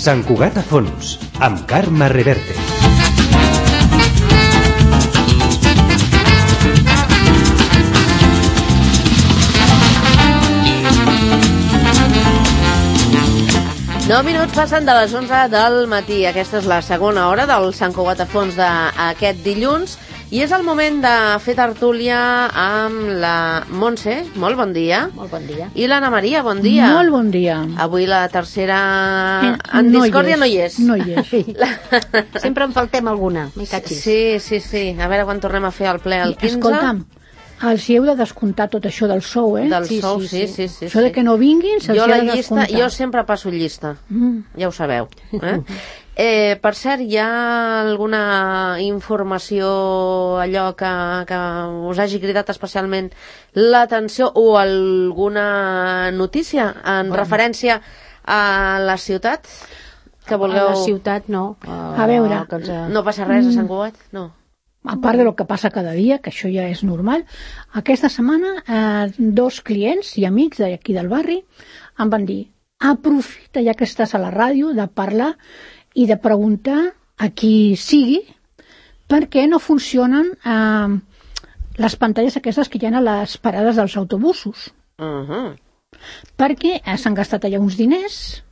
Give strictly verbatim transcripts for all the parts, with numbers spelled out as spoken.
Sant Cugat a fons, amb Carme Reverte. Nou minuts passen de les onze del matí. Aquesta és la segona hora del Sant Cugat a fons d'aquest dilluns. I és el moment de fer tertúlia amb la Montse. Molt bon dia. Molt bon dia. I l'Anna Maria, bon dia. Molt bon dia. Avui la tercera en no discòrdia no hi és. No hi és. La... Sempre en faltem alguna. Sí, sí, sí. A veure quan tornem a fer el ple el quinze. Escolta'm, els hi heu de descomptar tot això del sou, eh? Del sí, sou, sí, sí, sí, sí. Això de que no vinguin, se'ls jo hi ha la de llista, descomptar. jo sempre passo llista, mm. ja ho sabeu. Eh? Eh, per cert, hi ha alguna informació, allò que, que us hagi cridat especialment l'atenció o alguna notícia en bueno. referència a la ciutat? Que vulgueu... A la ciutat no. A, a veure... Ens... No passa res a Sant Cugat? No. A part de lo que passa cada dia, que això ja és normal, aquesta setmana eh, dos clients i amics d'aquí del barri em van dir: aprofita ja que estàs a la ràdio de parlar i de preguntar a qui sigui per què no funcionen eh, les pantalles aquestes que hi ha a les parades dels autobusos. Uh-huh. Perquè eh, s'han gastat allà uns diners,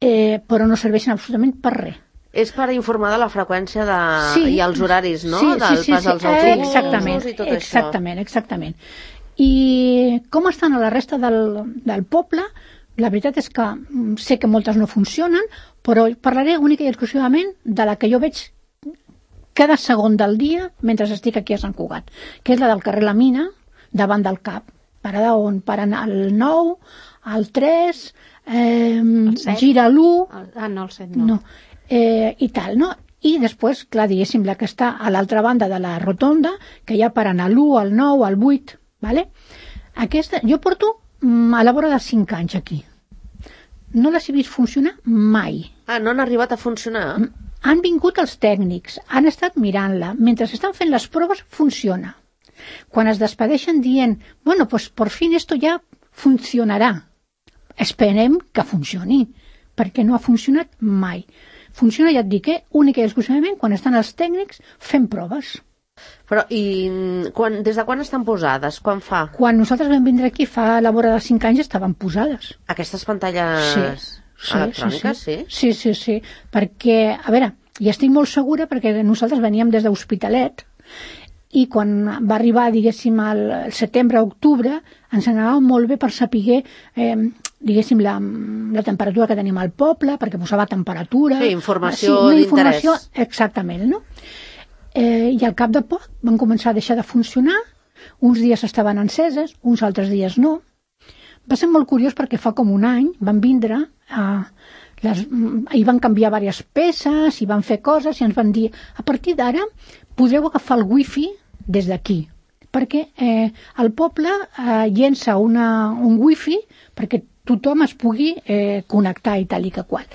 eh, però no serveixen absolutament per res. És per informar de la freqüència de... sí, i els horaris, no? Sí, del sí, sí, pas sí, dels autobusos exactament, i tot exactament, això. Exactament, I com estan a la resta del, del poble, la veritat és que sé que moltes no funcionen, però parlaré única i exclusivament de la que jo veig cada segon del dia mentre estic aquí a Sant Cugat, que és la del carrer La Mina, davant del C A P, parada on paren el nou, el tres, eh, gira l'u... Ah, no, el set no. no Eh, i tal, no? I després, clar, diguéssim, la que està a l'altra banda de la rotonda, que ja paren a l'u, al nou, al vuit, vale? Aquesta, jo porto mm, a la vora de cinc anys aquí. No les he vist funcionar mai. Ah, no han arribat a funcionar? Han vingut els tècnics, han estat mirant-la. Mentre estan fent les proves, funciona. Quan es despedeixen dient, bueno, pues por fin esto ya funcionarà. Esperem que funcioni, perquè no ha funcionat mai. Funciona, ja et dic, eh? única i exclusivament quan estan els tècnics fent proves. Però i quan, des de quan estan posades? Quan fa? Quan nosaltres vam vindre aquí fa a la vora de cinc anys estaven posades. Aquestes pantalles sí, sí, electròniques, sí? Sí, sí, sí, sí. Perquè, a veure, i estic molt segura perquè nosaltres veníem des d'Hospitalet i quan va arribar, diguéssim, al setembre, octubre, ens anava molt bé per saber, eh, diguéssim, la, la temperatura que tenim al poble, perquè posava temperatura... Sí, informació sí, d'interès. Exactament, no? Eh, I al cap de poc van començar a deixar de funcionar, uns dies estaven enceses, uns altres dies no. Va ser molt curiós perquè fa com un any van vindre, eh, les, i van canviar diverses peces, i van fer coses, i ens van dir, a partir d'ara podreu agafar el wifi des d'aquí, perquè eh, el poble eh, llença una, un wifi perquè tothom es pugui eh, connectar i tal i que qual.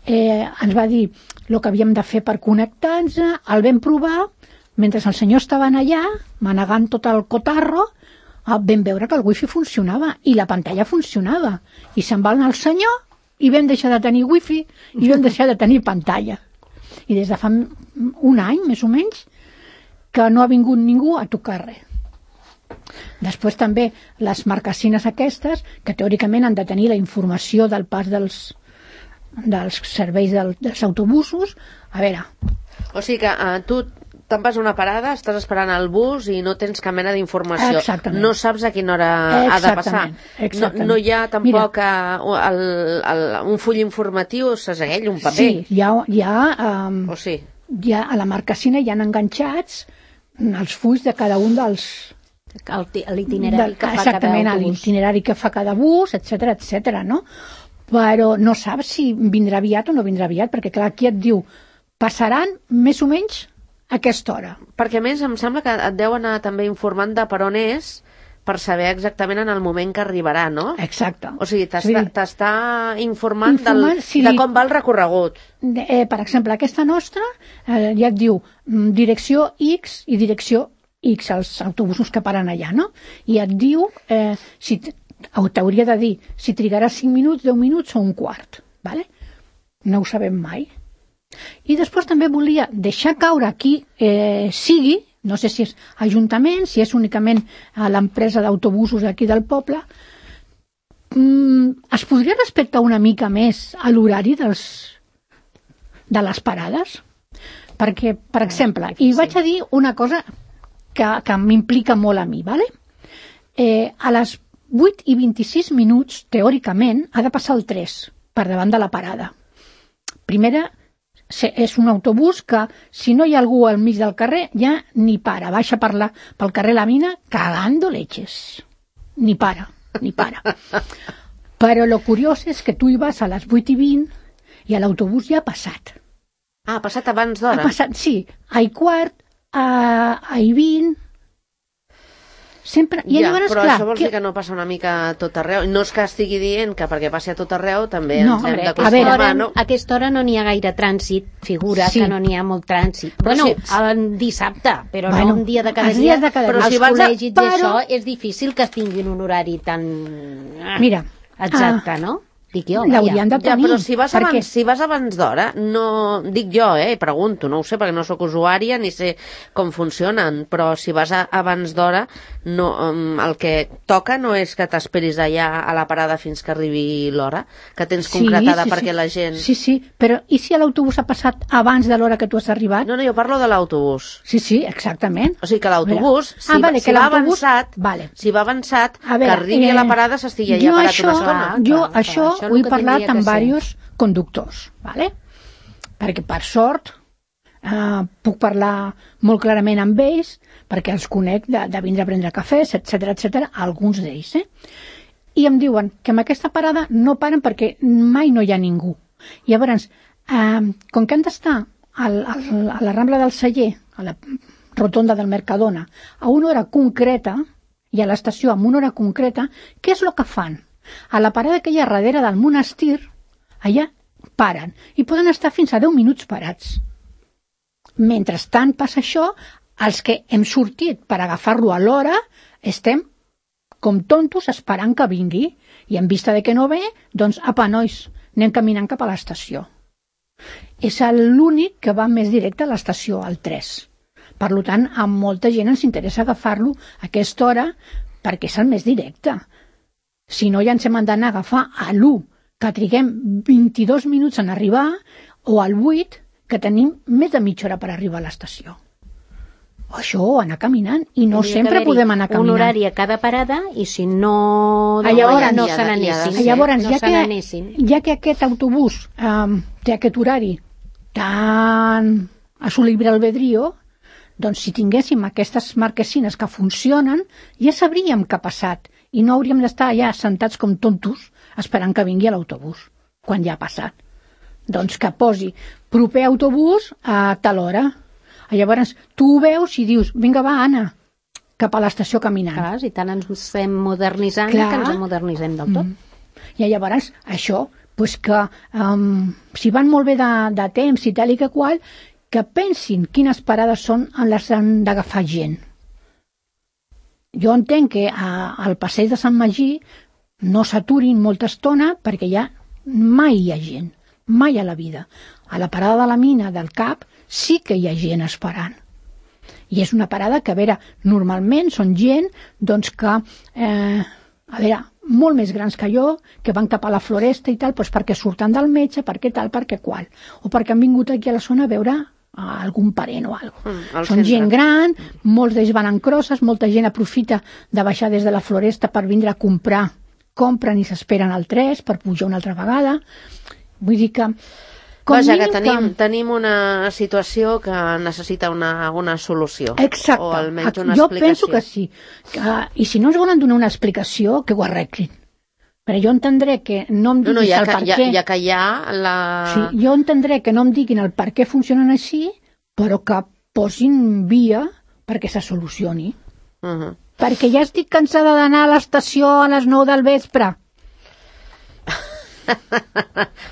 Eh, ens va dir el que havíem de fer per connectar-nos, el vam provar, mentre els senyors estaven allà, manegant tot el cotarro, eh, vam veure que el wifi funcionava i la pantalla funcionava. I se'n va anar el senyor i vam deixar de tenir wifi i vam deixar de tenir pantalla. I des de fa un any, més o menys, que no ha vingut ningú a tocar res. Després també les marquesines aquestes, que teòricament han de tenir la informació del pas dels, dels serveis del, dels autobusos, a veure... O sigui que uh, tu te'n vas a una parada, estàs esperant el bus i no tens cap mena d'informació. Exactament. No saps a quina hora ha de passar. Exactament. No, no hi ha tampoc uh, el, el, un full informatiu, segell, un paper. Sí, hi ha... Hi ha, um, o sí. hi ha a la marquesina hi han enganxats els fulls de cada un dels... l'itinerari que fa cada autobús. Exactament, l'itinerari que fa cada bus, etcètera, etcètera, no? Però no saps si vindrà aviat o no vindrà aviat, perquè clar, aquí et diu, passaran més o menys a aquesta hora. Perquè a més em sembla que et deu anar també informant de per on és, per saber exactament en el moment que arribarà, no? Exacte. O sigui, t'està sí. informant, informant del, si de li... com va el recorregut. Eh, per exemple, aquesta nostra eh, ja et diu direcció X i direcció X els autobusos que paren allà, no? I et diu, eh, si t'hauria de dir si trigarà cinc minuts, deu minuts o un quart, vale? No ho sabem mai. I després també volia deixar caure aquí eh, sigui, no sé si és ajuntament, si és únicament a l'empresa d'autobusos aquí del poble, mm, es podria respectar una mica més a l'horari dels de les parades? Perquè, per exemple, i vaig a dir una cosa que, que m'implica molt a mi, ¿vale? Eh, a les vuit i vint-i-sis minuts, teòricament, ha de passar el tres per davant de la parada. Primera, és un autobús que, si no hi ha algú al mig del carrer, ja ni para. Baixa per la, pel carrer La Mina cagando leches. Ni para, ni para. Però lo curiós és que tu hi vas a les vuit i vint i l'autobús ja ha passat. Ah, ha passat abans d'hora? Ha passat, sí. A i quart, a, a i vint... Sempre... I ja, llavors, però clar, això vols que... dir que no passa una mica a tot arreu? No és que estigui dient que perquè passi a tot arreu també no, ens hem hombre, d'acostumar, no? A aquesta hora no n'hi ha gaire trànsit, figura sí. que no n'hi ha molt trànsit. Però bueno, si... el dissabte, però bueno, no un dia de cada els dia. dies de cada però dia. els si vas a- col·legis però- d'això és difícil que tinguin un horari tan... Mira, exacte, ah, no? Dic jo, l'haurien de Ja, tenir. però si vas, perquè... abans, si vas abans d'hora, no... Dic jo, eh? Pregunto, no ho sé, perquè no sóc usuària ni sé com funcionen, però si vas a, abans d'hora, no, um, el que toca no és que t'esperis allà a la parada fins que arribi l'hora, que tens Sí, concretada sí, perquè sí. la gent... Sí, sí, però i si l'autobús ha passat abans de l'hora que tu has arribat? No, no, jo parlo de l'autobús. Sí, sí, exactament. O sigui que l'autobús, si, Ah, va- vale, si que va l'autobús- avançat, vale. si va avançat, A veure, que arribi eh, a la parada s'estigui allà jo parat això, una estona. Jo clar, clar, això això és ho he el que parlat tindria amb que ser. diversos conductors, vale? Perquè per sort eh, puc parlar molt clarament amb ells, perquè els conec de, de vindre a prendre cafès, etcètera, etcètera, alguns d'ells, eh? I em diuen que en aquesta parada no paren perquè mai no hi ha ningú. Llavors, eh, com que han d'estar al, al, a la Rambla del Celler, a la rotonda del Mercadona, a una hora concreta, i a l'estació amb una hora concreta, què és el que fan? A la parada que hi ha darrere del monestir, allà paren, i poden estar fins a deu minuts parats. Mentrestant passa això, els que hem sortit per agafar-lo a l'hora, estem com tontos esperant que vingui, i en vista de que no ve, doncs, apa, nois, anem caminant cap a l'estació. És l'únic que va més directe a l'estació, al tres. Per tant, a molta gent ens interessa agafar-lo a aquesta hora perquè és el més directe. Si no, ja ens hem d'anar a agafar a l'u, que triguem vint-i-dos minuts en arribar, o al vuit, que tenim més de mitja hora per arribar a l'estació. Això, anar caminant, i no Hauria sempre d'haver-hi podem anar caminant. un horari a cada parada, i si no... Ah, llavors, no ja- se ja- n'anessin. ja- Llavors, no ja se que, n'anessin. ja que aquest autobús um, té aquest horari tan a su libre albedrío, doncs si tinguéssim aquestes marquesines que funcionen, ja sabríem què ha passat i no hauríem d'estar allà sentats com tontos esperant que vingui l'autobús, quan ja ha passat. Doncs que posi proper autobús a tal hora. Llavors, tu ho veus i dius, vinga, va, Anna, cap a l'estació caminant. Clar, si tant ens estem modernitzant, Clar. que ens modernitzem del tot. Mm. I llavors, això, pues que um, si van molt bé de, de temps i tal i que qual, que pensin quines parades són en les que han d'agafar gent. Jo entenc que a, al passeig de Sant Magí no s'aturin molta estona perquè ja mai hi ha gent, mai a la vida. A la parada de la mina del Cap sí que hi ha gent esperant. I és una parada que, a veure, normalment són gent doncs, que, eh, a veure, molt més grans que jo, que van cap a la Floresta i tal, doncs perquè surten del metge, perquè tal, perquè qual. O perquè han vingut aquí a la zona a veure a algun parent o alguna cosa. Mm, al Són centre. gent gran, molts d'ells van en crosses, molta gent aprofita de baixar des de la Floresta per vindre a comprar, compren i s'esperen al tres per pujar una altra vegada. Vull dir que... Com Vaja, que mínim tenim, tenim una situació que necessita una, una solució. Exacte. O almenys una Jo explicació. penso que sí. Que, I si no ens volen donar una explicació, que ho arreglin. Però jo entendré que no em No, diguis no, ja el que, per ja, què... ja que hi ha la... Sí, jo entendré que no em diguin el per què funcionen així, però que posin via perquè se solucioni. Uh -huh. Perquè ja estic cansada d'anar a l'estació a les nou del vespre.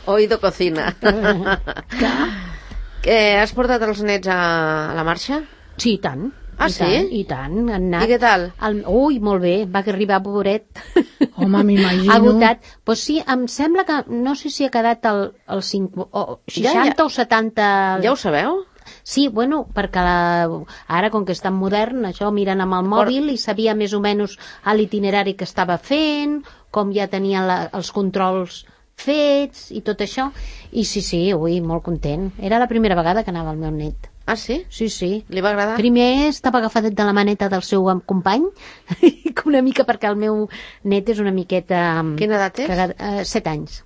Oído cocina. Clar. Que has portat els nets a, a la marxa? Sí, i tant. Ah, I sí? Tant, I tant, han anat. I què tal? El... Ui, molt bé, va arribar pobret. Home, m'imagino. Agotat. Pues sí, em sembla que, no sé si ha quedat el, el cinc, o seixanta Ja, ja. o setanta... Ja ho sabeu? Sí, bueno, perquè la, ara, com que és tan modern, això miren amb el mòbil i sabia més o menys l'itinerari que estava fent, com ja tenia la, els controls fets i tot això. I sí, sí, ui, molt content. Era la primera vegada que anava el meu net. Ah, sí? Sí, sí. Li va agradar? Primer estava agafadet de la maneta del seu company, una mica perquè el meu net és una miqueta... Quina edat és? Que, uh, set anys.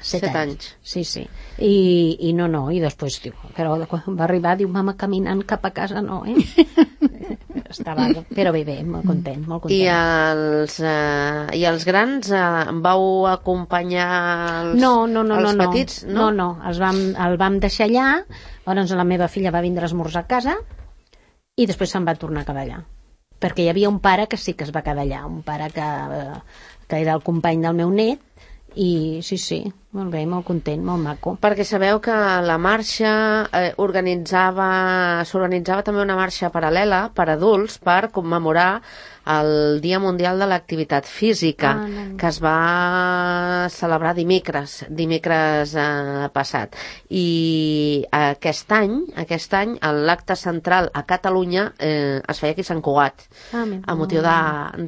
Set, Set anys. anys. Sí, sí. I, I no, no, i després, diu, però quan va arribar, diu, mama, caminant cap a casa, no, eh? Estava, però bé, bé, molt content, molt content. I els, eh, i els grans eh, vau acompanyar els, no, no, no, els no, petits? No, no, no. Els vam, el vam deixar allà, llavors la meva filla va vindre a esmorzar a casa i després se'n va tornar a quedar allà. Perquè hi havia un pare que sí que es va quedar allà, un pare que, que era el company del meu net, i sí, sí, molt bé, molt content, molt maco. Perquè sabeu que la marxa eh, organitzava, s'organitzava també una marxa paral·lela per adults per commemorar el Dia Mundial de l'Activitat Física, Ah, no. que es va celebrar dimecres, dimecres eh, passat. I aquest any, aquest any, l'acte central a Catalunya eh, es feia aquí a Sant Cugat, Ah, a motiu de,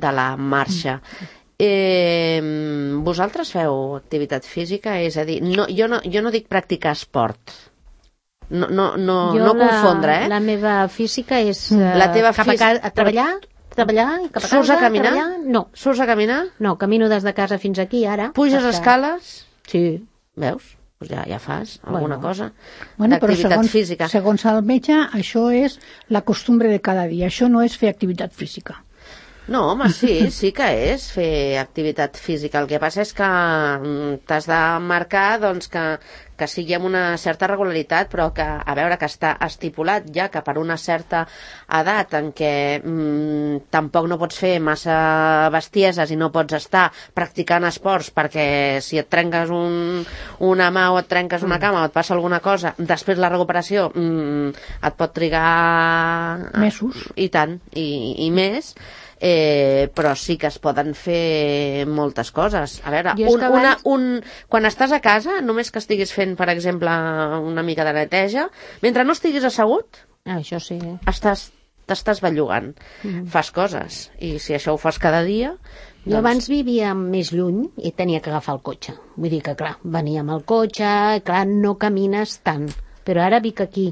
de la marxa. Eh, vosaltres feu activitat física? És a dir, no, jo, no, jo no dic practicar esport. No, no, no, Jo no la, confondre, eh? La meva física és uh, La teva cap a, fís- casa, a treballar, treballar i cap a casa. Surts a caminar? treballar. No, Surts a caminar? no, camino des de casa fins aquí ara. Puges perquè- escales? Sí. Veus? Pues ja, ja fas alguna Bueno. cosa Bueno, però d'activitat segons, física. segons el metge, això és la costumbre de cada dia. Això no és fer activitat física. No, home, sí, sí que és fer activitat física. El que passa és que mm, t'has de marcar doncs, que, que sigui amb una certa regularitat, però que, a veure, que està estipulat ja que per una certa edat en què mm, tampoc no pots fer massa bestieses i no pots estar practicant esports, perquè si et trenques un, una mà o et trenques una cama o et passa alguna cosa, després la recuperació mm, et pot trigar... Mesos. I tant, i, i més. Eh, però sí que es poden fer moltes coses. A veure, Jo és un, que una, abans- un, quan estàs a casa, només que estiguis fent, per exemple, una mica de neteja, mentre no estiguis assegut, Ah, això sí. estàs t'estàs bellugant. Mm. Fas coses. I si això ho fas cada dia... Jo doncs... abans vivia més lluny i tenia que agafar el cotxe. Vull dir que, clar, venia amb el cotxe, clar, no camines tant. Però ara vic aquí,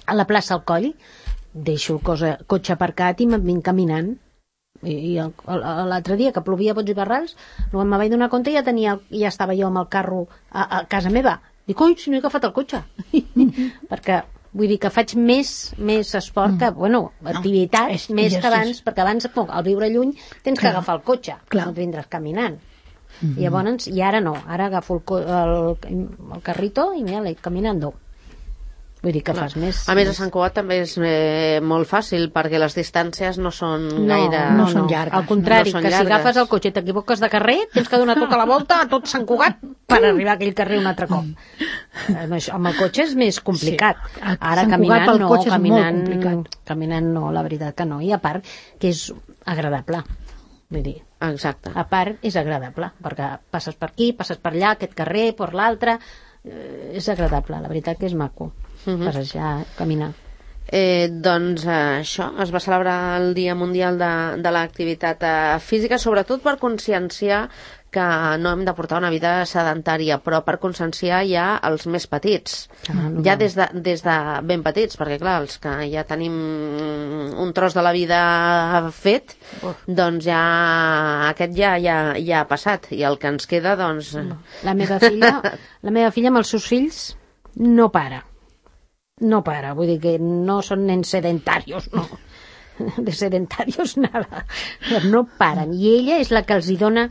a la plaça al Coll, deixo el cosa, cotxe aparcat i me'n vinc caminant. I, i el- el- l'altre dia que plovia bots i barrals, quan me vaig donar compte ja, tenia, ja estava jo amb el carro a, a casa meva. Dic, oi, si no he agafat el cotxe. Perquè vull dir que faig més, més esport que, bueno, activitat, és- més és- que abans, perquè abans, al viure lluny, tens que Clar. agafar el cotxe, Clar. no et vindràs caminant. I llavors, i ara no, ara agafo el, co- el, el carrito i mira, caminando. Vull dir que fas més... A més, a Sant Cugat també és eh, molt fàcil, perquè les distàncies no són no, gaire... no són llargues, Al contrari, no són que si llargues. agafes el cotxe i t'equivoques de carrer, tens que donar tota la volta a tot Sant Cugat per arribar a aquell carrer un altre cop. Amb, això, amb el cotxe és més complicat. Sí, a Ara Sant Cugat caminant pel no, cotxe és molt caminant, complicat. caminant no, la veritat que no. I a part que és agradable. Vull dir, Exacte. a part és agradable, perquè passes per aquí, passes per allà, aquest carrer, per l'altre, eh, és agradable, la veritat que és maco. Mhm. Passejar, caminar. Eh, doncs eh, això, es va celebrar el Dia Mundial de, de l'Activitat eh, Física, sobretot per conscienciar que no hem de portar una vida sedentària, però per conscienciar ja els més petits, Ah, no, ja no. des de, des de ben petits, perquè clar, els que ja tenim un tros de la vida fet, Uf. doncs ja aquest ja, ja, ja ha passat, i el que ens queda, doncs... La meva filla, la meva filla amb els seus fills no para. No para, vull dir que no són nens sedentarios, no. De sedentarios nada. No paren. I ella és la que els hi dona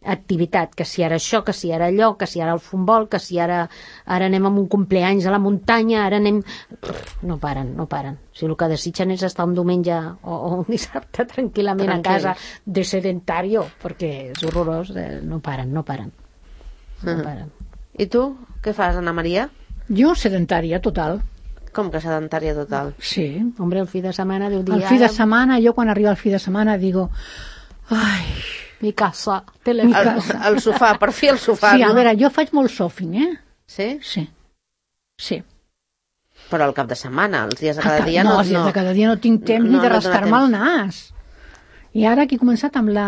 activitat, que si ara això, que si ara allò, que si ara el futbol, que si ara, ara anem a un compleanys a la muntanya, ara anem... No paren, no paren. Si el que desitgen és estar un diumenge o, o un dissabte tranquil·lament a casa de sedentario, perquè és horrorós, eh, no paren, no paren. No paren. I tu, què fas, Anna Maria? Jo sedentària, total. Com que sedentària total? Sí. Hombre, el fi de setmana deu dir... El fi de setmana, jo quan arriba el fi de setmana digo, ai, mi casa, mi telèfon. El, casa. el sofà, per fi el sofà, Sí, a no? veure, jo faig molt sofing, eh? Sí? Sí. Sí. Però al cap de setmana, els dies de cada dia no, no... els dies de cada dia no tinc temps No, ni de no dona rascar-me el temps. nas. I ara que he començat amb la...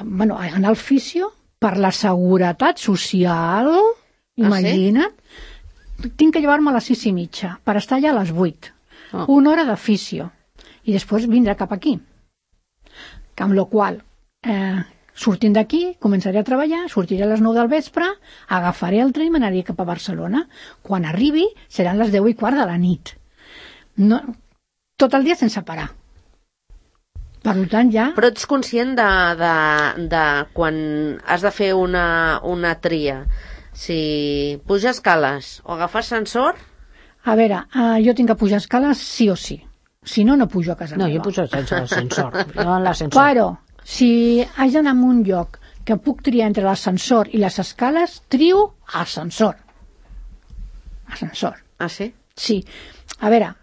Bueno, a anar al fisio per la seguretat social, imagina't, tinc que llevar-me a les sis i mitja per estar allà a les vuit. Oh. Una hora de fisio. I després vindrà cap aquí. Amb la qual eh, sortint d'aquí, començaré a treballar, sortiré a les nou del vespre, agafaré el tren i m'anaré cap a Barcelona. Quan arribi seran les deu i quart de la nit. No, tot el dia sense parar. Per tant, ja... Però ets conscient de, de, de quan has de fer una, una tria. Si pujar escales o agafar ascensor... A veure, eh, jo tinc que pujar escales sí o sí. Si no, no pujo a casa No, meva. jo pujo sense ascensor. Jo en l'ascensor. Però, si haig d'anar a un lloc que puc triar entre l'ascensor i les escales, trio ascensor. Ascensor. Ah, sí? Sí. A veure,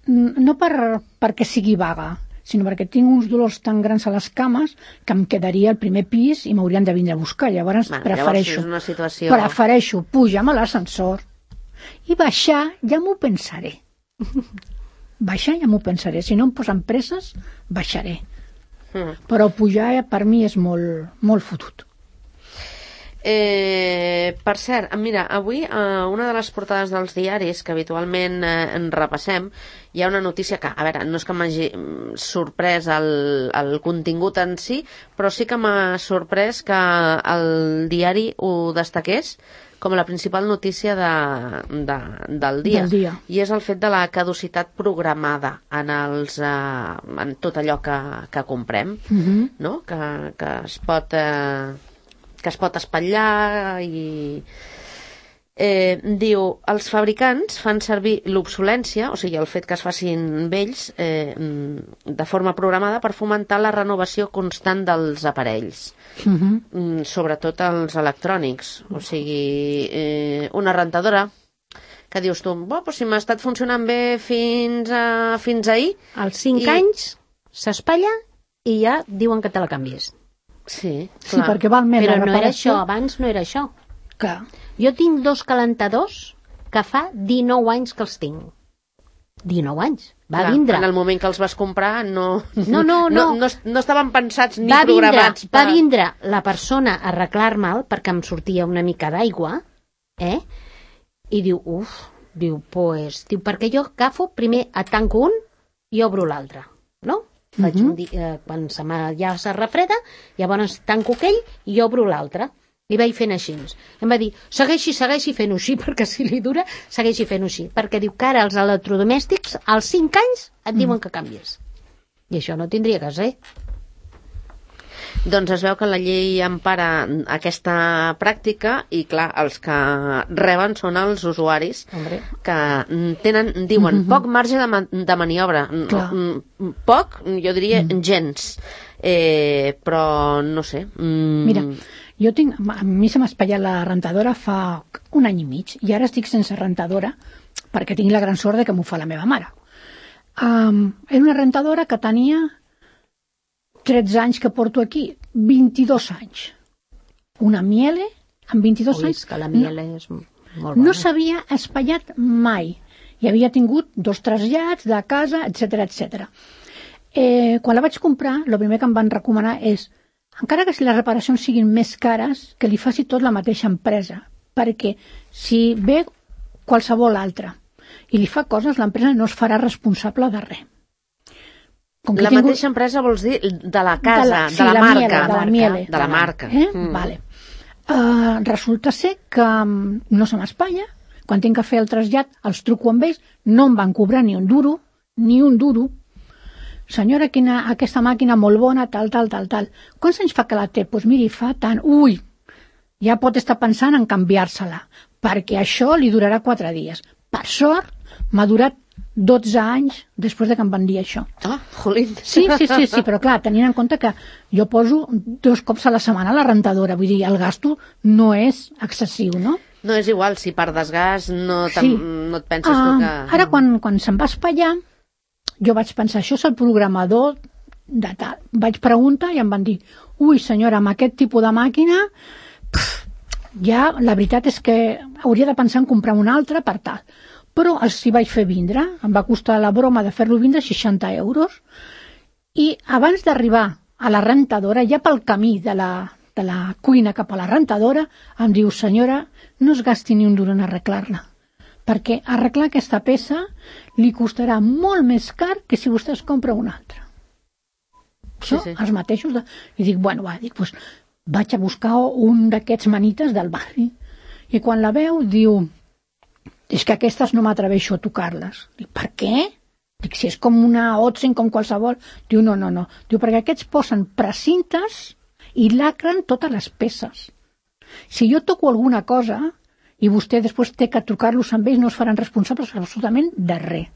n- no per, perquè sigui vaga, sinó perquè tinc uns dolors tan grans a les cames que em quedaria al primer pis i m'haurien de vindre a buscar. Llavors Bueno, prefereixo, llavors és una situació... prefereixo pujar a l'ascensor i baixar, ja m'ho pensaré. Baixar ja m'ho pensaré. Si no em posen presses, baixaré. Mm. Però pujar per mi és molt, molt fotut. Eh, per cert, mira, avui a eh, una de les portades dels diaris que habitualment eh, en repassem, hi ha una notícia que, a veure, no és que m'hagi mm, sorprès el, el contingut en si, però sí que m'ha sorprès que el diari ho destaqués com la principal notícia de, de, del dia. Del dia. I és el fet de la caducitat programada en, els, eh, en tot allò que, que comprem, Uh-huh. no? que, que es pot eh, que es pot espatllar i eh, diu, els fabricants fan servir l'obsolència, o sigui, el fet que es facin vells eh, de forma programada per fomentar la renovació constant dels aparells, Uh-huh. mm, sobretot els electrònics, o sigui, eh, una rentadora que dius tu, bo, pues si m'ha estat funcionant bé fins, a, fins ahir. Als cinc I- anys s'espatlla i ja diuen que te la canvies. Sí, Sí, clar. perquè val més Però la no era reparació. això, abans no era això. Clar. Jo tinc dos calentadors que fa dinou anys que els tinc. dinou anys. Va Clar, vindre. en el moment que els vas comprar no, No, no, no, no. no, no estaven pensats ni va vindre, programats va vindre la persona a arreglar-me'l perquè em sortia una mica d'aigua, eh? I diu, uf, diu, pues, diu, perquè jo agafo, primer et tanco un i obro l'altre, no? Faig Mhm. un dia, eh, quan se m'ha, ja se refreda, llavors tanco aquell i obro l'altre. I vaig fent així. Em va dir, segueixi, segueixi fent-ho així, perquè si li dura, segueixi fent-ho així. Perquè diu que ara els electrodomèstics, als cinc anys, et diuen que canvies. I això no tindria que ser. Doncs es veu que la llei empara aquesta pràctica i, clar, els que reben són els usuaris Hombre. que tenen, diuen, poc marge de, ma de maniobra. Clar. Mm, Poc, jo diria gens. Eh, però no sé. Mm, Mira, jo tinc, a mi se m'ha espatllat la rentadora fa un any i mig i ara estic sense rentadora perquè tinc la gran sort de que m'ho fa la meva mare. Um, era una rentadora que tenia tretze anys que porto aquí, vint-i-dos anys. Una Miele amb vint-i-dos Ui, anys. és que la miel és molt bona. No s'havia espatllat mai. I havia tingut dos trasllats de casa, etcètera, etcètera. Eh, quan la vaig comprar, el primer que em van recomanar és, encara que si les reparacions siguin més cares, que li faci tot la mateixa empresa, perquè si ve qualsevol altra i li fa coses, l'empresa no es farà responsable de res. Com que la he tingut- mateixa empresa vols dir de la casa, de la, sí, de la, la marca. Miele, de la Miele. De la marca. Eh? Mm. Vale. Uh, resulta ser que um, no se m'espatlla. Quan tinc que fer el trasllat, els truco amb ells, no em van cobrar ni un duro, ni un duro. Senyora, quina, aquesta màquina molt bona, tal, tal, tal, tal. Quants anys fa que la té? Doncs pues miri, fa tant. Ui, ja pot estar pensant en canviar-se-la, perquè això li durarà quatre dies. Per sort, m'ha durat dotze anys després de que em van dir això. Ah, jolín. Sí, sí, sí, sí, però clar, tenint en compte que jo poso dos cops a la setmana a la rentadora, vull dir, el gasto no és excessiu, no? No és igual, si per desgast no, Sí. no et penses Ah, tu que... Ara, quan, quan se'n va espaiar, jo vaig pensar, això és el programador de tal. Vaig preguntar i em van dir, ui senyora, amb aquest tipus de màquina, pff, ja la veritat és que hauria de pensar en comprar una altra per tal. Però els hi vaig fer vindre, em va costar la broma de fer-lo vindre seixanta euros, i abans d'arribar a la rentadora, ja pel camí de la, de la cuina cap a la rentadora, em diu, senyora, no es gasti ni un duro en arreglar-la, perquè arreglar aquesta peça li costarà molt més car que si vostè es compra una altra. Sí, Això, sí. els mateixos. De... I dic, bueno, va, dic, pues, vaig a buscar un d'aquests manites del barri. I quan la veu, diu, és que aquestes no m'atreveixo a tocar-les. Dic, per què? Dic, si és com una Otzen, com qualsevol. Diu, no, no, no. Diu, perquè aquests posen precintes i lacren totes les peces. Si jo toco alguna cosa i vostè després té que trucar-los amb ells, no es faran responsables absolutament de res.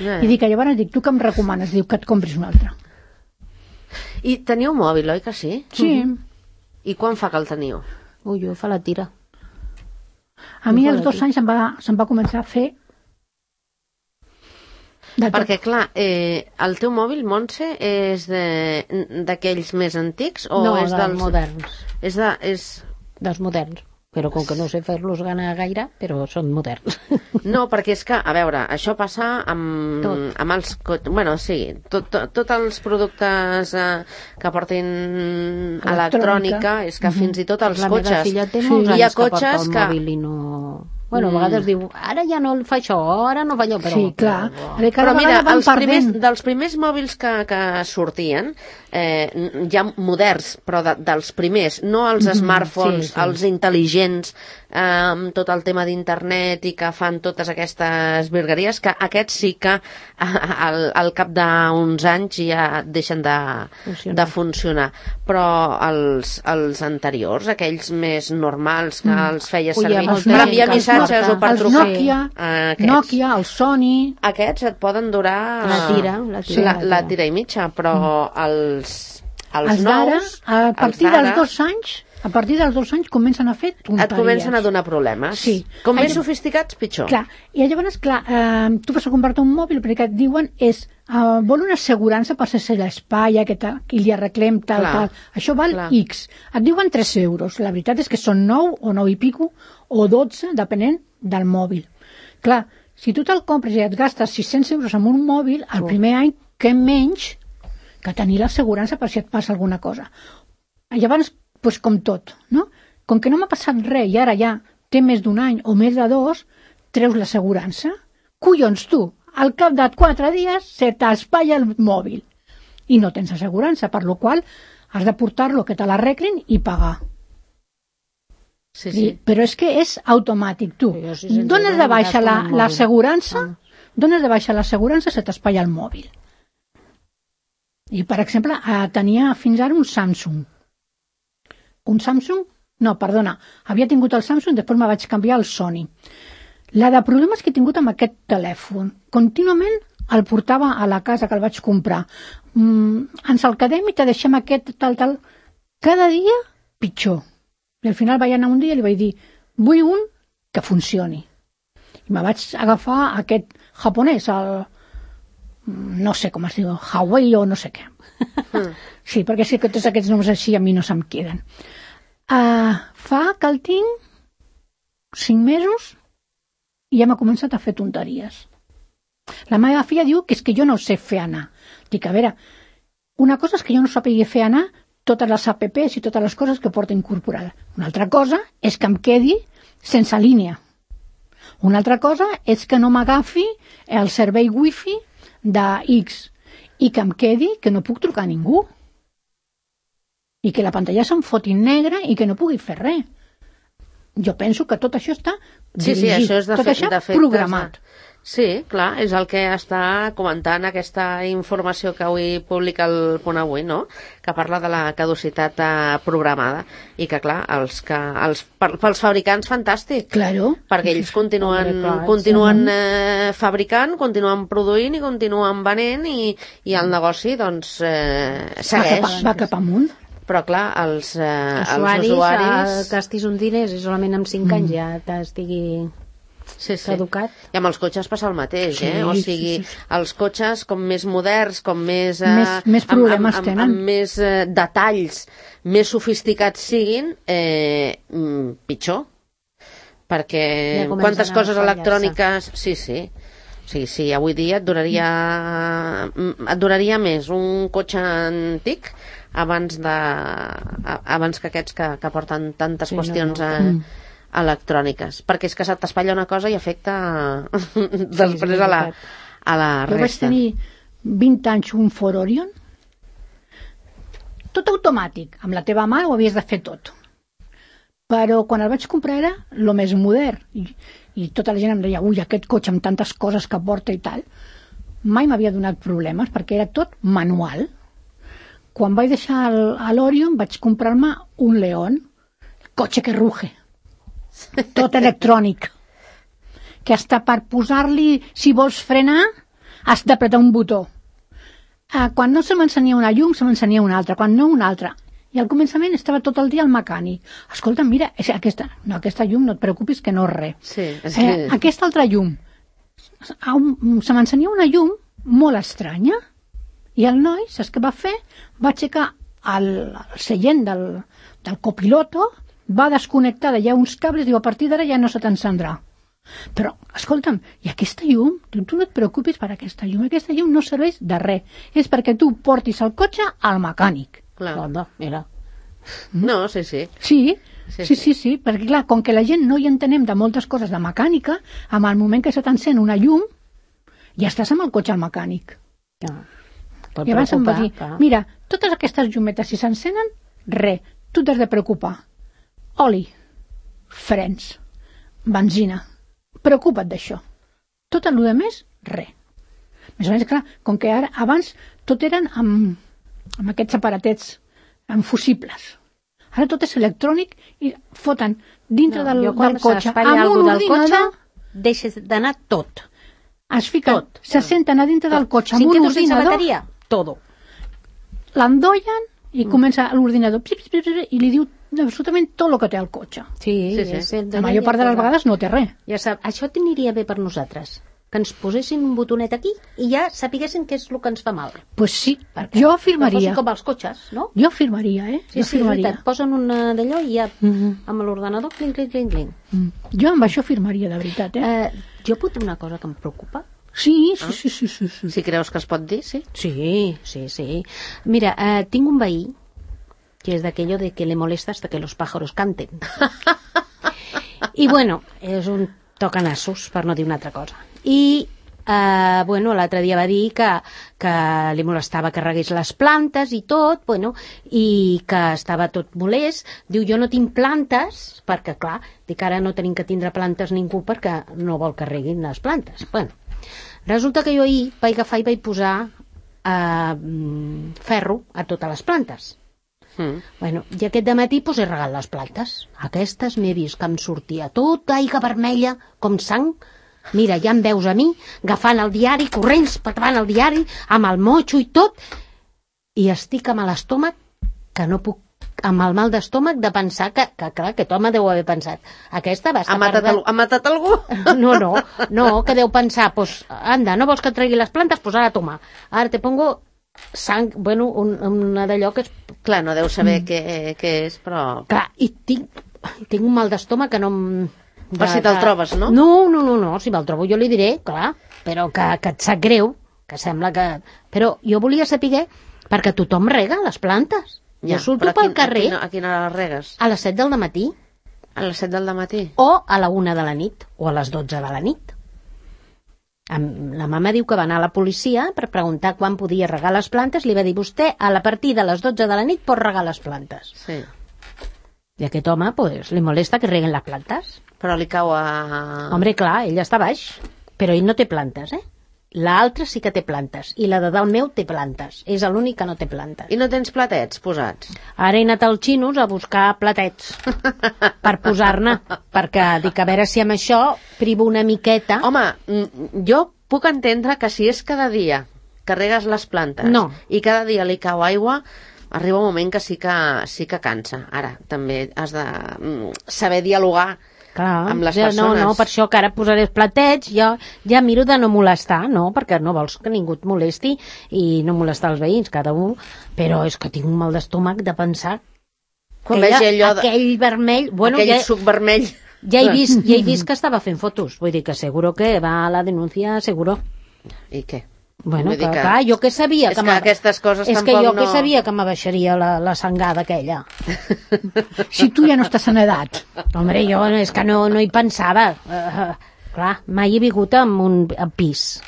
Ja, I dic, llavors dic, tu què em recomanes? Diu, que et compris una altra. I teniu mòbil, oi que sí? Sí. I quan fa que el teniu? Ui, jo fa la tira. A mi Jo als fora dos aquí. anys se'm va, se'm va començar a fer de tot. Perquè, clar, eh, el teu mòbil, Montse, és de- d'aquells més antics o No, és dels dels... moderns. És de... És... Dels moderns. Però com que no sé fer-los gana gaire, però són moderns. No, perquè és que, a veure, això passa amb, Tot. amb els... co- Bueno, sí, tots tot, tot els productes eh, que portin Electrònica. electrònica, és que fins i tot els la meva cotxes... filla té Sí. molts Hi ha anys que porta cotxes el que... mòbil i no... Bueno, a vegades diu, ara ja no el fa això, ara no fa allò, però... Sí, clar. però- Però, Però mira, els primers, perdent. dels primers mòbils que, que sortien, eh, ja moderns, però de, dels primers, no els smartphones, sí, sí. els intel·ligents, eh, amb tot el tema d'internet i que fan totes aquestes virgueries, que aquests sí que eh, al, al cap d'uns anys ja deixen de Funcionar. de funcionar. Però els, els anteriors, aquells més normals que els feia Ui, servir amb per els enviar Nokia, missatges o per els trucar... Nokia, Aquests. Nokia, el Sony... Aquests et poden durar... La tira, la tira, la, la la tira. tira i mitja, però els, els, Els d'ara, nous... a partir els d'ara, dels dos anys, a partir dels dos anys comencen a fer tonteries. et comencen a donar problemes. Sí. Com més Ai, sofisticats, pitjor. Clar, i llavors, clar, eh, tu vas a comprar-te un mòbil perquè et diuen és, eh, vol una assegurança per si se l'espatlla, que, tal, que li arreglem tal, Clar, tal. Això val clar. X. Et diuen tres euros. La veritat és que són nou o nou i pico o dotze, depenent del mòbil. Clar, si tu te'l compres i et gastes sis-cents euros en un mòbil, el primer any, què menys que tenir l'assegurança per si et passa alguna cosa. Llavors, doncs com tot, no? Com que no m'ha passat res i ara ja té més d'un any o més de dos, treus l'assegurança. Collons, tu, al cap de quatre dies se t'espatlla el mòbil i no tens assegurança, per lo qual has de portar-lo que te l'arreglin i pagar. Sí, I, sí. però és que és automàtic, tu. Jo, si se'ns Dones de agrada, baixa gasto la- en el mòbil. l'assegurança, Ah. dones de baixa l'assegurança, se t'espatlla el mòbil. I, per exemple, eh, tenia fins ara un Samsung. Un Samsung? No, perdona, havia tingut el Samsung, després me vaig canviar al Sony. La de problemes que he tingut amb aquest telèfon, contínuament el portava a la casa que el vaig comprar. Mm, ens el quedem i te deixem aquest, tal, tal. Cada dia, pitjor. I al final vaig anar un dia i li vaig dir, vull un que funcioni. I me vaig agafar aquest japonès, el... no sé com es diu, Huawei o no sé què. Sí, perquè sí que tots aquests noms així a mi no se'm queden. Uh, fa que el tinc cinc mesos i ja m'ha començat a fer tonteries. La meva filla diu que és que jo no sé fer anar. Dic, a veure, una cosa és que jo no sàpiga fer anar totes les apps i totes les coses que porta incorporada. Una altra cosa és que em quedi sense línia. Una altra cosa és que no m'agafi el servei wifi de X i que em quedi que no puc trucar a ningú. I que la pantalla se'm foti negra i que no pugui fer res. Jo penso que tot això està Sí, sí, dirigit, això és de, tot fe, això de fet... programat. Sí, clar, és el que està comentant aquesta informació que avui publica el Punt Avui, no? Que parla de la caducitat eh, programada i que, clar, els que, els, per, pels fabricants fantàstic, Claro. perquè ells continuen, Home, clar, continuen eh, fabricant, continuen produint i continuen venent i, i el negoci, doncs, eh, Va segueix. cap, va cap amunt. però clar, els, eh, usuaris, els usuaris... eh, gastis un diners i solament amb cinc anys ja t'estigui sí, sí. caducat. I amb els cotxes passa el mateix, Sí, eh? O sí, sigui, sí, sí. els cotxes com més moderns, com més... Eh, Més- més problemes amb, amb, tenen. amb, amb més eh, detalls, més sofisticats siguin, eh, mm, pitjor. Perquè Ja comencen quantes a coses fallar-se. electròniques... Sí, sí. Sí, sí, avui dia et duraria, mm, et duraria més un cotxe antic abans, de, a- abans que aquests que, que porten tantes Sí, no, qüestions no. eh, electròniques. Perquè és que se t'espatlla una cosa i afecta després a la, a la Jo vaig resta. tenir vint anys un Ford Orion, tot automàtic, amb la teva mà ho havies de fer tot. Però quan el vaig comprar era el més modern, i, i tota la gent em deia, ui, aquest cotxe amb tantes coses que porta i tal. Mai m'havia donat problemes, perquè era tot manual. Quan vaig deixar el- a l'Orion vaig comprar-me un León, cotxe que ruge, tot electrònic, que hasta per posar-li, si vols frenar, has d'apretar un botó. Ah, quan no se m'encenia una llum, se m'encenia una altra, quan no una altra. I al començament estava tot el dia al mecànic. Escolta, mira, és aquesta, no, aquesta llum no et preocupis que no és res. Sí, és Eh, que... aquesta altra llum. A un- Se m'encenia una llum molt estranya i el noi, saps què va fer? Va aixecar el, el seient del, del copiloto, va desconnectar d'allà uns cables i diu, a partir d'ara ja no se t'encendrà. Però, escolta'm, i aquesta llum, tu, tu no et preocupis per aquesta llum, aquesta llum no serveix de res, és perquè tu portis el cotxe al mecànic. Clar. Onda, mira. No, sí, sí. Sí, Sí, sí, sí, sí. sí, sí, perquè clar, com que la gent no hi entenem de moltes coses de mecànica, amb el moment que se t'encén una llum, ja estàs amb el cotxe al mecànic. Ja. Pot I abans em va preocupar, dir, clar. mira, totes aquestes llumetes, si s'encenen, res, tu t'has de preocupar. Oli, frens, benzina, preocupa't d'això. Tot el de més, res. Més o menys, clar, com que ara, abans tot eren amb, amb aquests aparatets, amb fusibles. Ara tot és electrònic i foten dintre No, del, jo quan del cotxe s'espatlla amb algú un del cotxe, ordinador, deixes d'anar tot. es fiquen, tot. se senten a dintre del cotxe amb Sin un que tu sense ordinador, bateria, todo. l'endollen i comença l'ordinador pip, pip, pip, i li diu absolutament tot el que té el cotxe. Sí, Sí, sí. és el La major part de les vegades no té res. Ja sap, això t'aniria bé per nosaltres, que ens posessin un botonet aquí i ja sapiguessin què és el que ens fa mal. Pues sí, Perquè jo no afirmaria. fossin com els cotxes, no? Jo afirmaria, eh? Sí, jo sí, és afirmaria. veritat. Posen una d'allò i ja Mhm. amb l'ordenador, clinc, clinc, clinc, clinc. Mm. Jo amb això afirmaria, de veritat, eh? Eh, jo puc dir una cosa que em preocupa? Sí, sí, sí, sí, sí, sí. Si creus que es pot dir, sí. Sí, sí, sí. Mira, eh, tinc un veí que és d'aquello de que le molesta hasta que los pájaros canten. I bueno, és un tocanassos, per no dir una altra cosa. I eh, bueno, l'altre dia va dir que, que li molestava que regués les plantes i tot, bueno, i que estava tot molest. Diu, jo no tinc plantes, perquè clar, dic ara no tenim que tindre plantes ningú perquè no vol que reguin les plantes. Bueno, resulta que jo ahir vaig agafar i vaig posar eh, mm, ferro a totes les plantes. Mm. Bueno, i aquest dematí pues, he regat les plantes. Aquestes m'he vist que em sortia tota aigua vermella, com sang. Mira, ja em veus a mi, agafant el diari, corrents, patant el diari, amb el motxo i tot, i estic amb l'estómac, que no puc, amb el mal d'estómac de pensar que, que clar, aquest home deu haver pensat, aquesta va estar Ha matat, perdent- al, ha matat algú? No, no, no, que deu pensar, pues, anda, no vols que et tregui les plantes? Pues ara toma, ara te pongo sang, bueno, un, una d'allò que és... Clar, no deu saber què, què és, però... Clar, i tinc, tinc un mal d'estómac que no... em- Per si te'l trobes, no? No, no, no, no, si me'l trobo jo li diré, clar, però que, que et sap greu, que sembla que... Però jo volia saber, perquè tothom rega les plantes. Jo surto però a pel quin- carrer A quina, a quina hora les regues? a les set del matí, A les set del matí? o a la una de la nit, o a les dotze de la nit. Am- La mama diu que va anar a la policia per preguntar quan podia regar les plantes, li va dir, vostè a la partir de les dotze de la nit pot regar les plantes. Sí. I aquest home, pues, li molesta que reguen les plantes. Però li cau a... Hombre, clar, ell està baix, però ell no té plantes, eh? L'altre sí que té plantes, i la de dalt meu té plantes. És l'únic que no té plantes. I no tens platets posats? Ara he anat als xinos a buscar platets per posar-ne, perquè dic, a veure si amb això privo una miqueta. Home, mm, jo puc entendre que si és cada dia que regues les plantes No. i cada dia li cau aigua, arriba un moment que sí que, sí que cansa. Ara, també has de mm, saber dialogar Clar, amb les ja, persones. No, no, per això que ara posaré els platets, jo ja miro de no molestar, no? Perquè no vols que ningú et molesti i no molestar els veïns, cada un, però és que tinc un mal d'estómac de pensar Quan aquella, vegi allò de... aquell vermell... Bueno, aquell ja, suc vermell. ja, he vist, ja he vist que estava fent fotos, vull dir que seguro que va a la denúncia, seguro. I què? Bueno, Vull dir que, que- clar, jo que sabia és que, que m'ha- aquestes coses és que tampoc jo no- que sabia que m'abaixaria la, la sangada aquella. Si tu ja no estàs en edat. Hombre, jo és que no, no hi pensava. Uh, clar, mai he vingut en un en pis.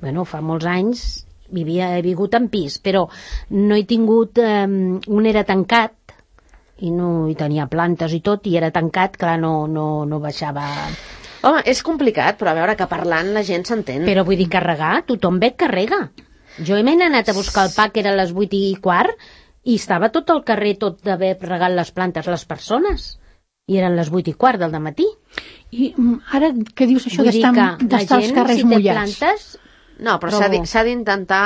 Bueno, fa molts anys vivia, he vingut en pis, però no he tingut... Um, un era tancat i no hi tenia plantes i tot, i era tancat, clar, no, no, no baixava... Home, és complicat, però a veure que parlant la gent s'entén. Però vull dir, carregar, tothom ve carrega. Jo he anat a buscar el pa, que era a les vuit i quart, i estava tot el carrer, tot d'haver regat les plantes, les persones. I eren les vuit i quart del dematí. I mm, ara que dius això Vull dir d'estar que la d'estar als gent, carrers si té mullats. plantes, No, però Trobo. s'ha di- s'ha d'intentar...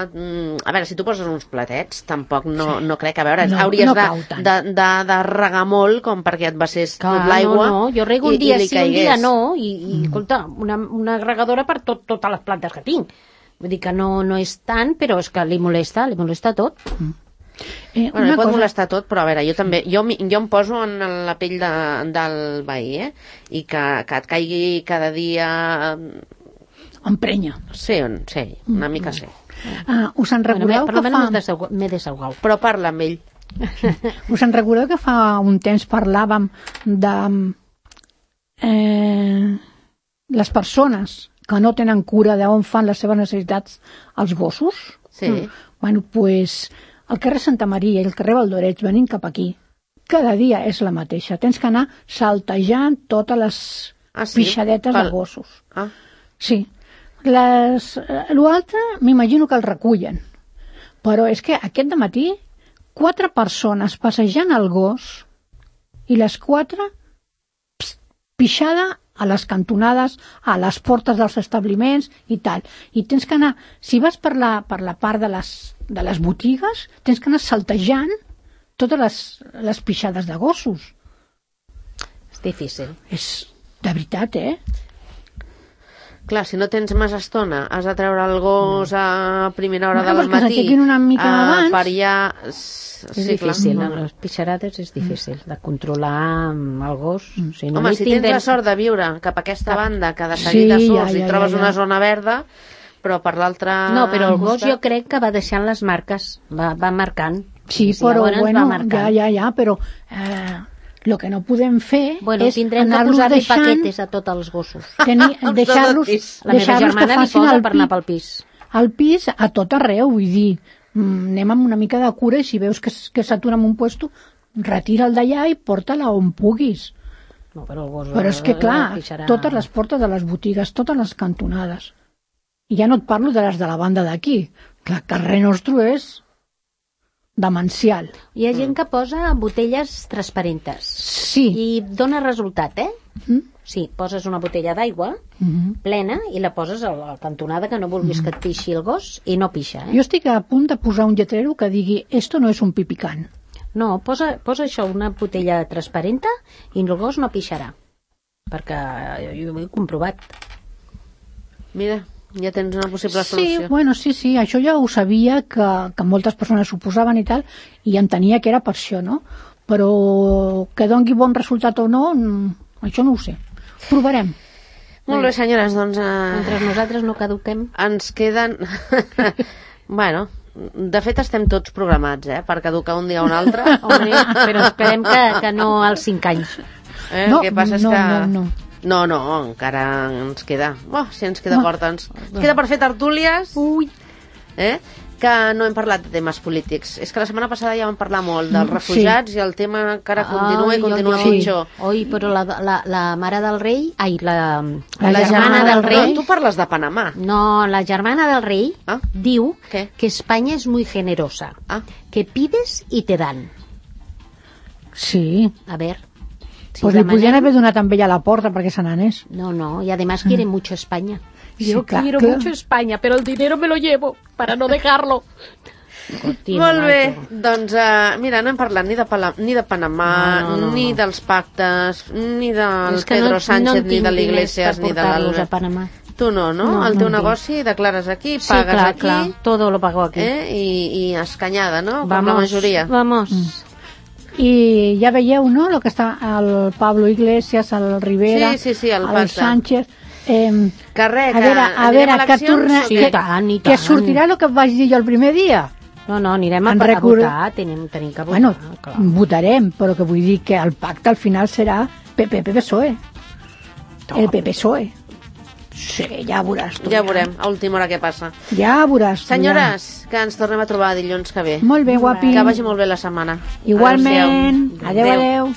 Mm. A veure, si tu poses uns platets, tampoc no, no crec... A veure, No, hauries no de, cau tant. de, de, de regar molt com perquè et vessés clar, tot l'aigua. no, no, jo rego i- un dia i li sí, un dia caigués. no, i, i escolta, una, una regadora per tot, totes les plantes que tinc. Vull dir que no, no és tant, però és que li molesta, li molesta tot. Eh, Bueno, una li pot cosa, molestar tot, però a veure, jo també, jo, mi- jo em poso en la pell de, del veí, eh? I que, que et caigui cada dia... emprenya. Sí, on- sí, una mica sí. Ah, us en Bueno, recordeu per lo que menos fa... m'he desau- m'he desahogat. Però parla amb ell. Us en recordeu que fa un temps parlàvem de eh, les persones que no tenen cura d'on fan les seves necessitats els gossos? Sí. Mm. Bueno, pues el carrer Santa Maria i el carrer Valdoreig venint cap aquí, cada dia és la mateixa. Tens que anar saltejant totes les Ah, sí? pixadetes Pel- de gossos. Ah, Sí. Les, eh, l'altre m'imagino que el recullen. Però és que aquest dematí quatre persones passejant el gos i les quatre pst, pixada a les cantonades, a les portes dels establiments i tal. I tens que anar, si vas per la, per la part de les, de les botigues, tens que anar saltejant totes les, les pixades de gossos. És difícil. És de veritat, eh? clar, si no tens més estona, has de treure el gos a primera hora Bueno, del pues que matí. s'aixequin una mica a abans. pariar... És Sí, clar. difícil, amb les pixarades és difícil de controlar amb el gos. Si no Home, li si tens tindrem- la sort de viure cap a aquesta Cap- banda, que de seguida Sí, surts ja, i ja, trobes ja, ja. una zona verda, però per l'altra... No, però el gos costat- jo crec que va deixant les marques, va, va marcant. Sí, I però llavors bueno, va marcant. ja, ja, ja, però eh, el que no podem fer Bueno, és tindrem que anar-los posar-li deixant, paquetes a tots els gossos. tenir, Els deixar-los del pis. La meva deixar-los que germana n'hi facin posa el per anar pi, pel pis. el pis a tot arreu, vull dir, mm, anem amb una mica de cura i si veus que, s- que s'atura en un puesto, retira'l d'allà i porta-la on puguis. No, però el gos Però és que, eh, clar, pixarà. totes les portes de les botigues, totes les cantonades. I ja no et parlo de les de la banda d'aquí. Clar, el carrer nostre és demencial. Hi ha gent que posa botelles transparentes Sí. i dona resultat, eh? Mm? Sí, poses una botella d'aigua Mhm. plena i la poses a la cantonada que no vulguis que et pixi el gos i no pixa, eh? Jo estic a punt de posar un lletrero que digui «Esto no és un pipicant». No, posa, posa això, una botella transparenta i el gos no pixarà. Perquè jo ho he comprovat. Mira, ja tens una possible Sí, solució. bueno, sí, sí, això ja ho sabia que, que moltes persones ho posaven i tal, i entenia que era per això, no? Però que dongui bon resultat o no, mm, això no ho sé. Provarem. Molt bé, senyores, doncs eh, Mentre nosaltres no caduquem. ens queden... bueno, de fet estem tots programats, eh? Per caducar un dia o un altre. Home, però esperem que, que no als cinc anys. Eh? No, el que passa és no, que... no, no. No, no, encara ens queda... Oh, si ens queda Oh. porta, ens ens queda per fer tertúlies, Ui, eh? Que no hem parlat de temes polítics. És que la setmana passada ja vam parlar molt dels Mm, refugiats i el tema encara continua i continua oi, oi. pitjor. Oi, però la, la, la mare del rei... Ai, la, La la, germana del rei... Tu parles de Panamà. No, la germana del rei Ah. diu Què? que España es muy generosa, Ah, que pides y te dan. sí. A ver... Si Pues li demanem- podien haver donat amb ella a la porta perquè se n'anés. No, no, y además quiere mucho España. Sí, Yo clar, quiero clar. mucho España, pero el dinero me lo llevo para no dejarlo. Cortina, Molt bé, Naito. doncs uh, mira, no hem parlat ni de, Pala, ni de Panamà, No, no, no, ni no. dels pactes, ni del És que Pedro no, Sánchez, no en ni tinc de diners l'Iglesias, per ni de portar-los a l'Albert. Panamà. Tu no, no? No, El no teu en tinc. negoci declares aquí, Sí, pagues clar, aquí, clar, todo lo pago aquí. eh? I, i escanyada, no? Com Vamos, la majoria. Vamos. I ja veieu, no?, el que està el Pablo Iglesias, el Rivera, Sí, sí, sí, el el pacte. Sánchez... Eh, Que res, a que veure, a anirem veure, a que eleccions torna... o Sí, què? i tant, i Que tant. sortirà el que em vaig dir jo el primer dia. No, no, anirem a, En a record- votar, tenim, tenim que votar. Bueno, clar. votarem, però que vull dir que el pacte al final serà P P P P S O E. El P P S O E. Sí, ja veuràs tu. Ja veurem, a última hora què passa. Ja veuràs tu. Senyores, que ens tornem a trobar dilluns que ve. Ja. Molt bé, guapi. Que vagi molt bé la setmana. Igualment. Adéu, adéu.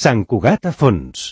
Sant Cugat a fons.